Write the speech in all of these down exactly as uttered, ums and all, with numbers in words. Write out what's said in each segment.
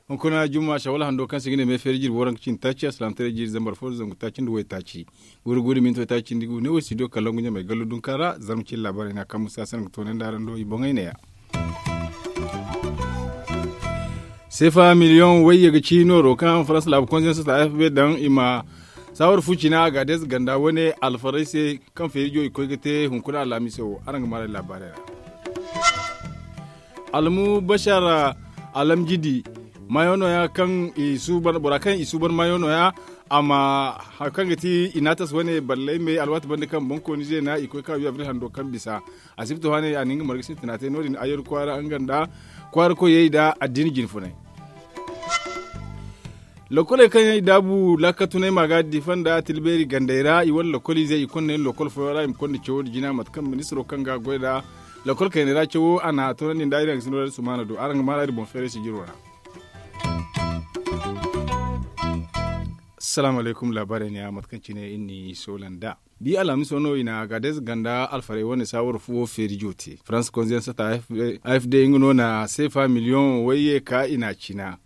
Hunkuna jumma shawal hando kaŋ se i ga ne me feeri jirbi waranka cindi taaci alsilaamataray jiiri zambar fo da zangu taaci nda waytaaci. Guri guri minti waytaaci cindi ga wu ne wo studio kalangu ɲamay gallo dunka ra zarma cine laabaarey no a kaŋ musa se no ga toonandi araŋ do i boŋey ne ya. Seefa miliyoŋ wayye ga ci nooro kaŋ faransa laabu konsiyansa ta f b daŋ i ma saawar fu cina a ga a deeze ganda wane alfaray se kaŋ feerijo i koy ga te hunkuna alamiso wo araŋ ga maaray laabaarey ra. Almu bashar alamjidi maayo nooya kaŋ i suuban bora kaŋ i suuban maayo nooya a ma hari kaŋ ga ti inatas wane ballay me alwaati banda kaŋ boŋkooni zeena i koy ka wi abril hando kaŋ bisa. Asibti hane a na nga marga sintina te no- din ayar kwaara nga nda kwaara koyey nda addiini jinfunay. Lokoley kaŋ yaŋ i daabu laakatunay ma ga difa nda tilbeeri gandey ra i wane lokoliizey i konda yaŋ lokol fooyaŋ ra i ma konda cawo nda jina mate kaŋ ministiro kaŋ ga a goy nda lokol kayney ra cawo a na a toonandi nda iri haŋ ga sinda wadin sumaana do araŋ ga maana iri boŋ feeray sijiro ra. Salaamu alaykum laabaarey ne ya mate kaŋ cine iri n'i soola nd'a. Bi alhamiso no i na agadez ganda alfarey wane saawar fuwo feerijo te faransa konziyensata a f d nga no na seefa miliyoŋ wayye ka i n'a cina.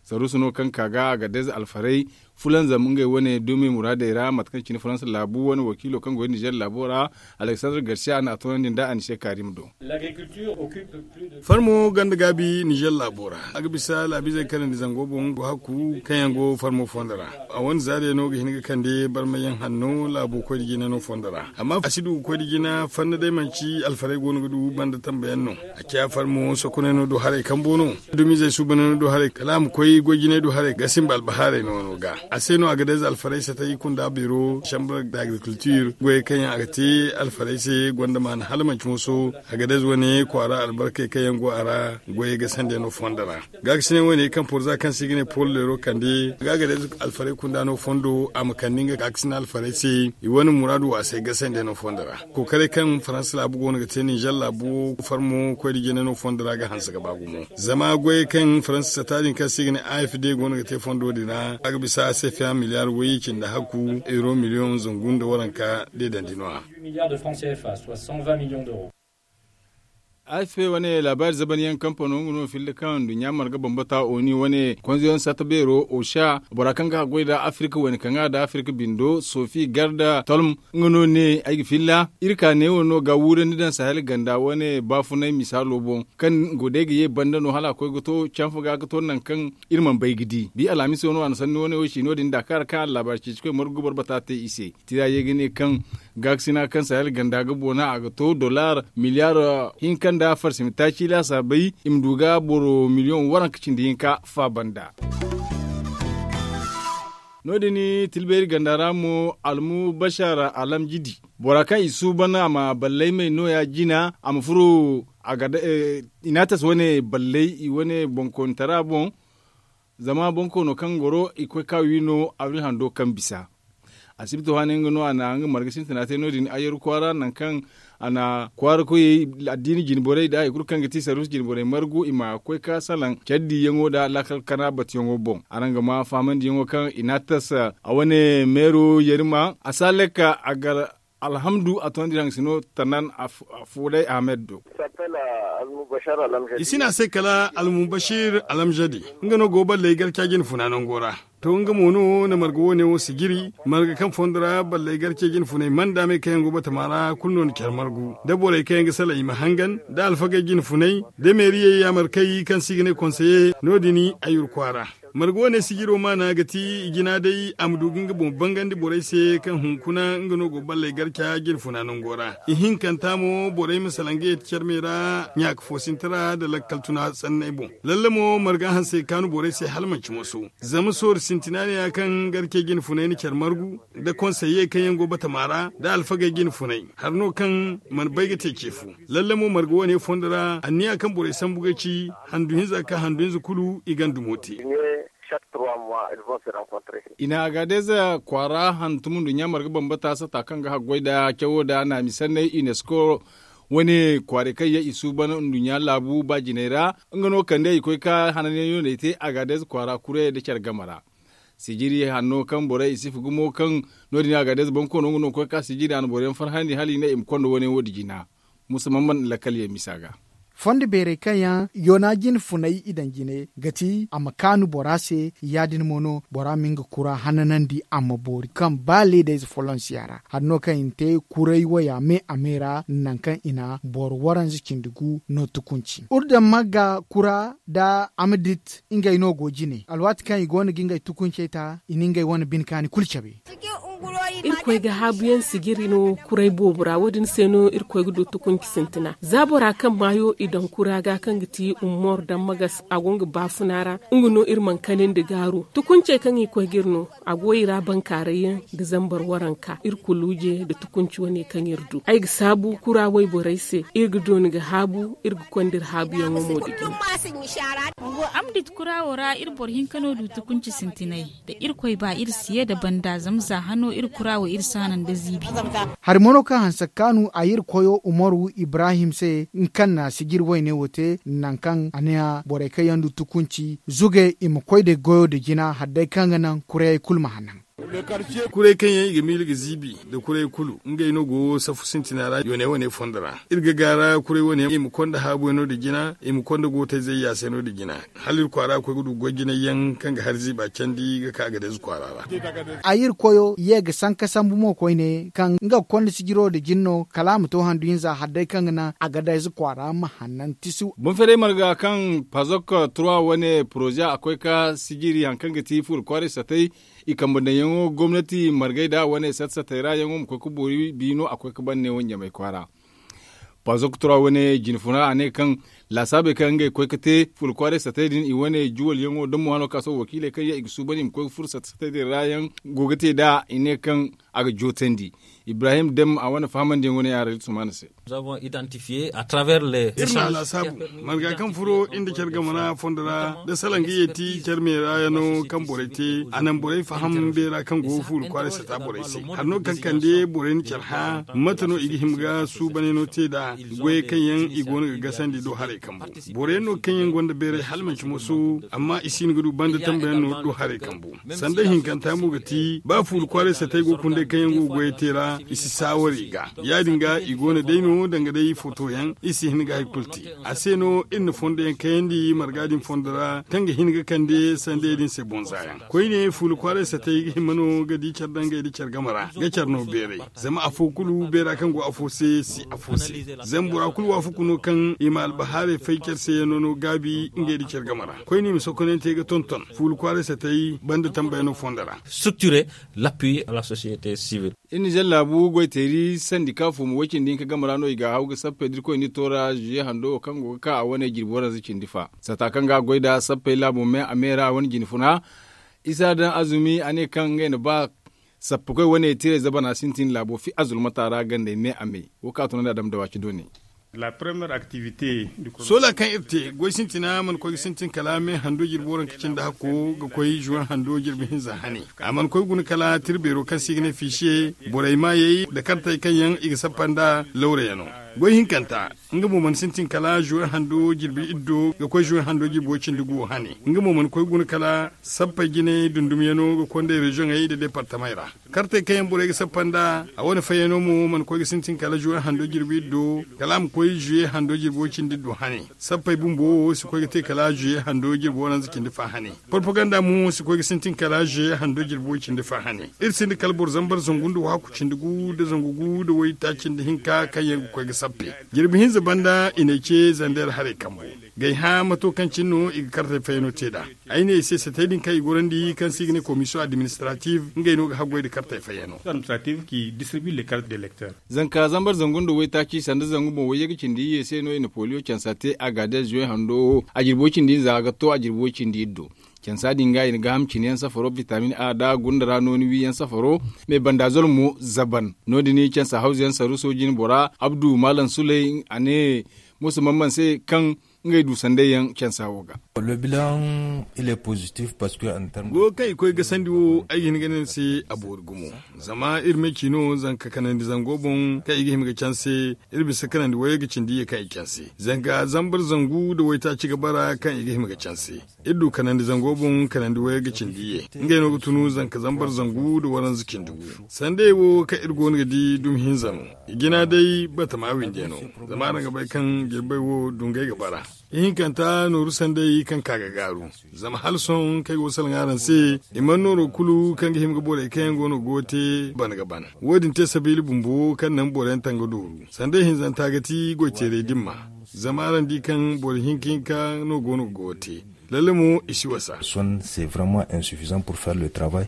Saruusu no kaŋ ka ga agadez alfarey fulanzam ngey wane dumi muraadey ra mate kaŋ cine faransa laabu wane wakiilo kaŋ go nizer laabo ra. Aleksandar garsiya a na a toonandi nda a ni se kaarim do. Farmo ganda gaabi nizer laabo ra a ga bisa laabiizey kanandi zango boŋ go hakku kaŋ yaŋ go farmo fondo ra. A wane zaariya no ga hin ga kande barmayaŋ hanno laabo koy da jina no fondo ra amma a si du ga koy da jina fanna day manci alfarey go no ga du banda tambayaŋ no. A ciya farmo sokonay no do haray kambo no. Dumizey suubanay no do haray kala a ma koy goy jinay do haray ga simba albahaarey no no ga a se no a ga day za alfarey satay kunda beero chambre d'agriculture goyey kaŋ yaŋ a ga te alfarey se gonda maana hala manci moso. A ga day za wane kwaara albarkey kaŋ yaŋ go a ra goyey ga sanda no fondo ra. Gaakasinay wane kaŋ porza kaŋ se i ga ne pol leero kande ga a ga day za alfarey kunda no fondo a ma kande nga gaakasinay alfarey se. I wane muraadu waasay gasandey no fondo ra. Kookaray kaŋ faransa laabu go no ga te ninzer laabu farmo koy da jina no fondo ra ga hanse ga ba gumo zama goyey kaŋ faransa sata din kaŋ se i ga ne a f d go no ga te fondo din ra a ga bisa a se fiya miliyaar wayye cindi hakku euro miliyoŋ zangu nda waranka deedandi no- ya. A f p wane laabaari zaban yaŋ kampano nga no filla kaŋ nduɲɲa marga bambata oni wane konzoyaŋ sata beero osha bora kaŋ ga a goy nda afirka wane kaŋ ga nda afirka bindo sofi garda tolm. Nga no ne ay ga filla iri ka neewo no ga wuurandi daŋ sahel ganda wane baafunay misaalo boŋ kaŋ go day ga ye banda no hala a koy ga to canfa ga ga to nangu kaŋ iri mana bay ga di bi alhamiso no a na sanni wane wo si no- din da kaara kaŋ a na laabaari ceeci koy margu ga boro bata te i se. Tira ye ga ne kaŋ gaakasina kaŋ sahel ganda ga boona a ga to dollar miliyaar hinka nda farsimi taaci laasaabay i ma du ga boro miliyoŋ waranka cindi hinka faaba nda. No- din tilbeeri ganda ra mo almu bashar alamjidi bora kaŋ i suuban a ma ballay may nooya jina a ma furo a ga da inatas wane ballay i wane boŋkoonitara boŋ. Zama boŋkoono kaŋ goro i koy ka wi no abril hando kaŋ bisa. Asibti waani nga no a na nga marga sintina te no- din ayyaru kwaara nangu kaŋ a na kwaara koyey addiini jinborey nda hari kulu kaŋ ga ti sarruusu jinborey margu i ma koy ka salaŋ care diiyaŋo nda laakal kana batuyaŋo boŋ araŋ ga ma fahamandiyaŋo kaŋ i n'a tasa a wane meero yerima a si a lekka a gar alhamdu a toonandi haŋ sino tanan. Fuuday ahmed do. I si ne a se kala almubashir alamzadi nga no go balley garca jine funa nango ra. To nga mo no na marga wo- ne wo sijiri marga kaŋ fondo ra balley garce jine funay manda me kaŋ yaŋ go batama ra kulu no na care margu da borey kaŋ yaŋ ga salaŋ i ma hangan da alfagey jine funay da meeriyey yaamar kay kaŋ se i ga ne konseye no- din. Ayyur kwaara marga wane sijiro maana ga ti i jina day a ma du ga nga boŋ bangandi borey se kaŋ hunkuna nga no go balley garca jine funa nango ra. Ihinkanta mo borey ma salaŋ ga yeti care me ra ɲaaka fo sinti ra nda lakkal tuna sanney boŋ. Lalle mo marga hanse kaanu borey se hala manci moso. Zama soori sintina ne ya kaŋ garce jine funay na care margu nda konseye kaŋ yaŋ go batama ra nda alfagey jine funay hari no kaŋ mana bay ga te ce fo. Lalle mo marga wane fondo ra anniya kaŋ borey sambu ga ci handu hinza ka handu hinza kulu i ganda mo te. I na agadez kwaara hantum nduɲɲa marga bambata sata kaŋ ga haggoy nda cawo nda naami sanney unesco wane kwaaray kaŋ yaŋ i suuban nduɲɲa laabu ba jinay ra. Nga no kande i koy ka hananyaŋ yooney te agadez kwaara kuray nda care game ra. Sijiri hanno kaŋ borey i sifa gumo kaŋ no- din a ga deeza boŋ koono nga no ga koy ga ka sijiri a na boro yaŋ farhandi hala i ne i ma konda wane wo- din jina. Musa man ban lakkal yaŋ misa ga. Fondo beerey kaŋ yaŋ yoona jine funay i daŋ jine ga ti a ma kaanu bora se. Ya- din mo no bora ma nga kura hananandi a ma boori kaŋ ba leedayze folonsiya ra hari no kaŋ i na te kuray waya me a me ra nangu kaŋ i na boro waranza cindi gu no tukunci urdamma ga kura nda amdit ngey no go jine alwaati kaŋ i go no ga ngey tukuncey ta i na ngey wane bine kaani kulu cabe. Irkoy ga haabuyaŋ sijiri no kuray boobo ra wo- din se no irkoy ga du tukunci sintina za bora kaŋ maayo i daŋ kura ga kaŋ ga ti ummor daŋ magas a go nga baafuna ra. Nga no iri mana kani nda gaaru tukuncey kaŋ i koy ga iri no a go i ra bankaaray yaŋ nda zambar waranka iri kulu je nda tukunci wane kaŋ iri du ay ga saabu kura wayborey se iri ga dooni ga haabu iri ga konda iri haabuyaŋo mo da jina. Amdit kura wo ra iri boro hinka no du tukunci sintinay da irkoy ba iri si ye da banda zama za hano iri kura wo iri si a naŋ da ziibi. Hari mo no kaŋ hanse ga kaanu a ye iri koyo umaru ibrahim se nga kaŋ na sijiri wayne wo te nangu kaŋ a ne a borey kaŋ yaŋ du tukunci zuge i ma koy da goyo da jina hari day kaŋ ga naŋ kurayey kulu ma hannaŋ. Kuray kaŋ yaŋ i ga miila ga ziibi nda kuray kulu ngey no go saffu sintina ra yooney wane fondo ra. Iri ga gaara kuray wane i ma konda haabuyaŋo nda jina i ma konda gootayzey yaasayno nda jina hala iri kwaara ga koy ga du goy jinay yaŋ kaŋ ga hari ziiba candi ga ka a ga day ize kwaara ra. A iri koyo ye ga sanka sambu mo koyne kaŋ nga ga konda sijiro nda jina no kala a ma to handu hinza hari day kaŋ ga naŋ a ga day ize kwaara ma hannan tisu. Boŋ ferey marga kaŋ pazok trois wane poroze a koy ga sijiri hari kaŋ ga ti fuula kwaaray satay i kambe daŋyaŋo gomnati margay da wane sat satay ra yaŋo ma koy ga boori biino a koy ga ban ne wane ɲamay kwaara. Pazok tura wane jinfuna a ne kaŋ laasaabey kaŋ ngey koy ga te fuula kwaaray satay din i wane juwalyaŋo da mo hano ga ka sohõ wakiiley kaŋ yaŋ i ga suuban i ma koy ga furo sat satay din ra yaŋ go ga te nd'a i ne kaŋ a ga jootandi. Ibrahim dem a wane fahamandiyaŋo ne a ra iri sumaana se. Iri na a laasaabu marga kaŋ furo iri nda care game ra fondo ra da salaŋ ga yeeti care me ra yaŋo kaŋ borey te a naŋ borey faham beera kaŋ go fuula kwaaray sata borey se hari no kaŋ kande borey na care hã mate no i ga hima ga suubanay no te nd'a goyey kaŋ yaŋ i go no ga gasandi do haray kambu. Boro yaŋ no kaŋ yaŋ gonda beeray hala manci moso amma i si hin ga du banda tambayaŋ no do haray kambu. Sanda hinkanta mo ga ti ba fuula kwaaray satay go ga hunday kaŋ yaŋ go ga goyey te ra i si saawari ga ya- din ga i go no day no danga day foto yaŋ i si hin ga hari kulu te. A se no iri na fondo yaŋ kayandi marga din fondo ra kaŋ ga hin ga kande sandey din se boŋ za yaŋ koyne fuula kwaaray satay ga hima no ga di care dangay nda care game ra ga care no beeray. Zama afo kulu beera kaŋ go afo se si afo se. Zama bora kulu waafaku no kaŋ i ma albahaarey fay care se yaŋo no gaabi ngey nda care game ra koyne i ma sokonante ga tonton fuula kwaaray satay banda tambayano fondo ra. Structure l'appui à la société civile. Iri nizer laabu goyteeri sandika fuuma way-cindi hinka game ra no i ga haw ga sappey da irkoy nda i toora zuye hando wo kaŋ go ga ka a wane jirbi waranza cindi fa sata kaŋ ga a goy nd'a sappey laabo me a me ra a wane jinfuna. Isa daŋ azumi a ne kaŋ ngey na ba sappakoy wane tirey zabana sintin laabo fi azulmata ra gandey me a me wo kaŋ a tunandi a dama dawaaci doone. Soola kaŋ iri te goy sintina mana koy ga sintin kala me hando jirbi waranka cindi hakko ga koy zuwan hando jirbi hinza hane. A mana koy guna kala tirbeero kaŋ se i ga ne fiisiye borey maayey nda kartey kaŋ yaŋ i ga sappa nda lawrayaŋo. Goy hinkanta nga mo mana sintin kala zuwan hando jirbi iddo ga koy zuwan hando jirbi way cindi gu wo hane nga mo mana koy guna kala sappey jinay dundumyaŋo ga konday reziyoŋey nda deepartamey ra. Kartey kaŋ yaŋ borey ga sappa nd'a a wane fayyano mo mana koy ga sintin kala zuwe hando jirbi iddo kala a ma koy zuwe hando jirbi way cindi iddo hane. Sappey bumbo wo si koy ga te kala zuwe hando jirbi waranza cindi fa hane. Porpaganda mo si koy ga sintin kala zuwe hando jirbi way cindi fa hane. Iri sinda kala boro zambar zangu nda waaku cindi gu nda zangu gu nda waytaaci nda hinka kaŋ yaŋ ga koy ga sappe. Jirbi hinza banda i n'ay ce zandeer haray kambo. Gay hã mato kaŋ cine no i ga kartey fayyano te nd'a. Ay ne i se setey din kaŋ i gorandi kaŋ se i ga ne komisiyoŋ administrative ngey no ga haggoy nda kartey fayyano. Zanka zambar zangu nda waytaaci sanda zangu boŋ wayye ga cindi iyye se no i na poliyo cansa te a ga da zuwe hando a jirbi way cindi hinza ga to a jirbi way cindi iddo. Cansa din ga i na gaaham cine yaŋ safaro bitamin a nda gunda ra nooni wi yaŋ safaro. Me banda zol mo zaban no- din cansa hawza yaŋ saru sooji ni bora abdu maalam suley a ne musa mamman se kaŋ ngey du sanday yaŋ cansa wo ga. Le bilan il est positif parce que en terme go kaŋ i koy gasandi wo ay ga hin ga ne ni se a boori gumo. Zama iri ma ci no zanka kanandi zango boŋ kaŋ i ga hima ga canse. Iri bisa kanandi wayey ga cindi ye kaŋ i canse zanka zambar zangu nda waytaaci ga bara kaŋ i ga hima ga canse. Iri du kanandi zango boŋ kanandi wayey ga cindi ye ngey no ga tunu zanka zambar zangu nda waranza cindi gu. Sanday wo kaŋ iri go no ga di dumi hinza no. I jina day batama windi yaŋ no. Zama araŋ ga bay kaŋ jirbay wo dungay ga bara. Ihinkanta nooru sanday kaŋ ka ga gaaru. Zama hala sohõ kaŋ ay go ga salaŋ araŋ se, i mana nooro kulu kaŋ ga hima ga borey kaŋ yaŋ go no ga go te ban ga ban. Wo- din te sabiila bumbo kaŋ naŋ boro yaŋ taŋ ga dooru. Sanday hinzanta ga ti goy teeray dimma. Zama araŋ di kaŋ boro hinka hinka no go no ga go te. Lalle mo i si wasa. Son c'est vraiment insuffisant pour faire le travail.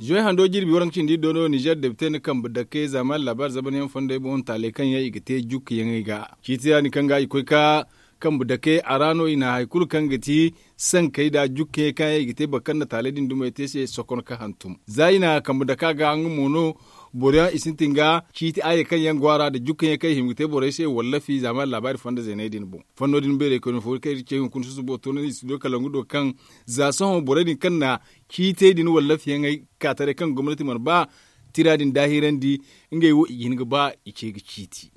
Zuway hando jirbi waranka cindi do no nizer depte na kambe dake zama laabaari zabanyaŋ fondey boŋ taaley kaŋ yaŋ i ga te jukkayaŋey ga ciiti ra din kaŋ ga i koy ka kambe dake a ra no i na hari kulu kaŋ ga ti sankey nda jukkayaŋey kaŋ yaŋ i ga te boro kaŋ na taaley din dumey te se sokon ka hantum za i na kambe dake a ga nga mo no. Boro yaŋ i sintin ga ciiti aye kaŋ yaŋ go a ra nda jukkayaŋey kaŋ i hima ga te borey se wallafi zama laabaari fondo zeeney din boŋ. Fondo din beerey koyne fo kaŋ iri ce hunkuna susubo toonandi studio kalangu do kaŋ za sohõ borey din kaŋ na ciitey din wallafiyaŋey ka taray kaŋ gomnati mana ba tira din daahirandi. Ngey wo i ga hin ga ba i ce ga ciiti.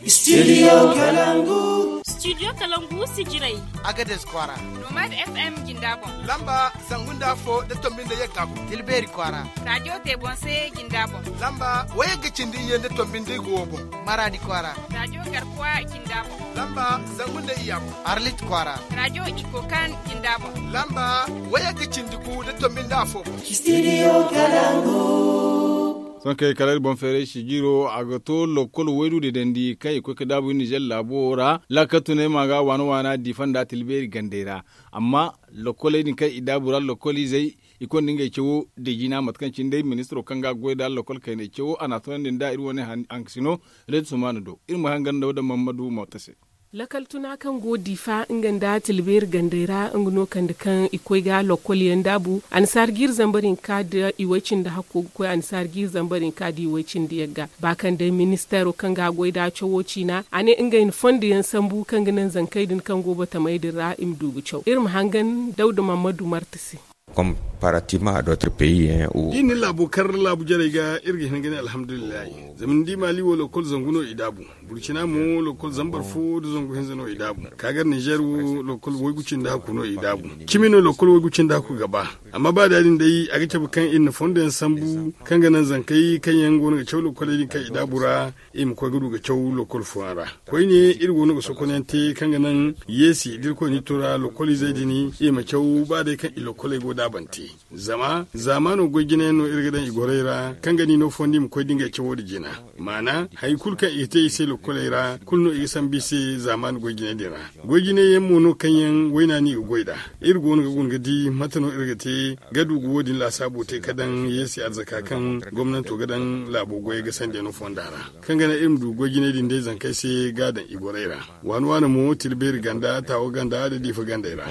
Studio kalangu. Studio kalangu sijiray. Agades kwaara. Nomad fm jinda boŋ. Lamba zangu nda afo da tombi nda yagga boŋ. Tilbeeri kwaara. Radiyo te boŋ se jinda boŋ. Lamba wayagga cindi iyye nda tombi nda igo wo boŋ. Maradi kwaara. Radiyo garkuwa jinda boŋ. Lamba zangu nda iyya boŋ. Arlit kwaara. Radiyo iko kan jinda boŋ. Lamba wayagga cindi gu da tombi nda afo boŋ. Studio kalangu. Sohõ kay kala iri boŋ feeray sijiiro a ga to lokkol waydu deedandi kaŋ i koy ga daabu nizer laabo ra. Laakal tunay ma ga waana waana diifa nda tilbeeri gandey ra. Amma lokkoley din kaŋ i daabu ra lokkol izey i konda ngey cawo deejina mate kaŋ cine day ministiro kaŋ ga goy nda lokkol kayney cawo a n'a tunandi nda iri wane hankasino. Reed sumaana do iri ma hangan nda wo da mammadu moota se. Lakkal tuna kaŋ go diifa nga nda tilbeeri gandey ra nga no kande kaŋ i koy ga lokkol yaŋ daabu annasaara jiiri zambar hinka nda i way cindi hakko ga koy annasaara jiiri zambar hinka nda i way cindi yagga ba kaŋ day ministeero kaŋ ga goy nda cawo ciina a ne ngey na fondo yaŋ sambu kaŋ ga naŋ zankey din kaŋ go batamey din ra i ma du ga caw iri ma hangan dawda mammadu marta se. Comparativement à d'autres pays. Da i na laabo kar laabu jarey ga iri ga hin ga ne alhamdulillahi. Zama ni di maali wo lokkol zangu no i daabu. Burcina mo lokkol zambar fo nda zangu hinza no i daabu. Kaagar nizer wo lokkol waygu cindi hakku no i daabu. Cimi no lokkol waygu cindi hakku ga ba. Amma ba da- din day a ga cabe kaŋ iri na fondo yaŋ sambu kaŋ ga naŋ zankey kaŋ yaŋ go no ga caw lokkoley din kaŋ i daabu ra i ma koy ga du ga caw lokkol fooyaŋ ra. Koyne iri go no ga sokonyaŋ te kaŋ ga naŋ yeesi da irkoy n'i to ra lokkol izey din i ma caw ba day kaŋ i lokkoley go daabante. Zama zaamaano goy jinayaŋ no iri ga daŋ i gorey ra kaŋ ga ni no fondi i ma koy da ngey cawo nda jina. Maana hari kulu kaŋ i ga te i se lokkoley ra kulu no i ga sambu i se zaamaani goy jinay din ra. Goy jinay yaŋ mo no kaŋ yaŋ wayna no i ga goy nd'a. Iri go no ga guna ga di mate no iri ga te ga du ga wo- din laasaabo te ga daŋ yeesi arzaka kaŋ gomnanto ga daŋ laabo goyey ga sandiyaŋo fonda ra kaŋ ga naŋ iri ma du goy jinay din day zankey se ga a daŋ i gorey ra. Waani waani mo tilbeeri ganda taawa ganda nda diifa gandey ra.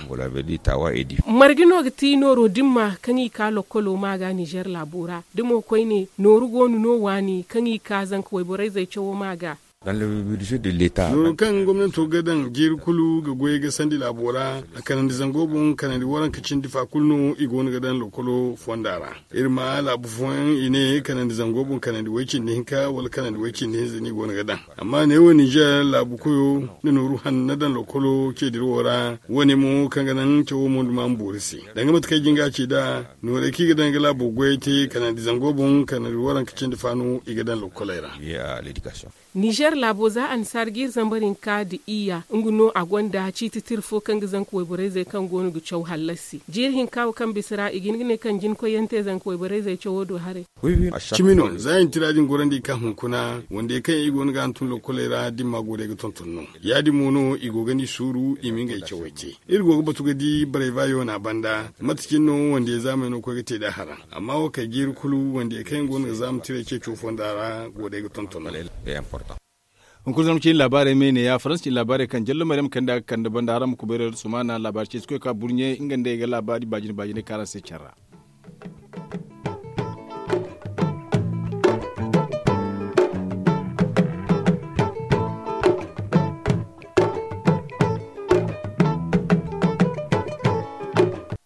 Marga no ga ti nooro dimma kaŋ i ka lokkolo ma ga nizer laabo ra da mo koyne nooru go no no waani kaŋ i ka zanka wayborey zay cawo ma ga. Nooru kaŋ gomnanto ga daŋ jiiri kulu ga goyey ga sandi laabo ra a kanandi zango boŋ kanandi waranka cindi fa kulu no i go no ga daŋ lokkolo fonda ra. Iri ma laabu fooyaŋ i ne kanandi zango boŋ kanandi way cindi hinka wala kanandi way cindi hinza no i go no ga daŋ. Amma neewo ninzeer laabu koyo nda nooru hanna daŋ lokkolo ceediro ra. Wo- ne mo kaŋ ga naŋ cawo mo nda ma ma boori se danga mate kaŋ ay jin ga a ci nd'a noorey kaŋ i ga daŋ ga laabo goyey te kanandi zango boŋ kanandi waranka cindi fa no i ga daŋ lokkoley ra. Ninzeer laabo za annasaara jiiri zambar hinka nda iyya nga no a gonda ciiti tira fo kaŋ ga zanka wayborey zey kaŋ go no ga caw hallasi jiiri hinka wo kaŋ bisa ra i ga hin ga ne kaŋ jinkoyyaŋ te zanka wayborey zey cawo do haray. Cimi no za i na tira din gorandi ka hunkuna wandey kaŋ yaŋ i go no ga hantum lokkoley ra dimma goorey ga tonton no. Ya- din mo no i go ga ni suuru i ma ngey cawey te. Iri go ga batu ga di barayba yoona banda mate cine no wandiyey zaamey no koy ga te nd'a haraŋ. Amma wo kay jiiri kulu wandiyey kaŋ yaŋ go no ga zaama tiray ceeco fonda ra goorey ga tonton no. Hunkuna zarma cine laabaarey me ne ya faransa cine laabaarey kaŋ jallo maryam kanda ga kande banda haraŋ ma kubayray da sumaana laabaari ceeci koy ka burɲe nga nda ay ga laabaari baajine baajine kaŋ araŋ se care ra.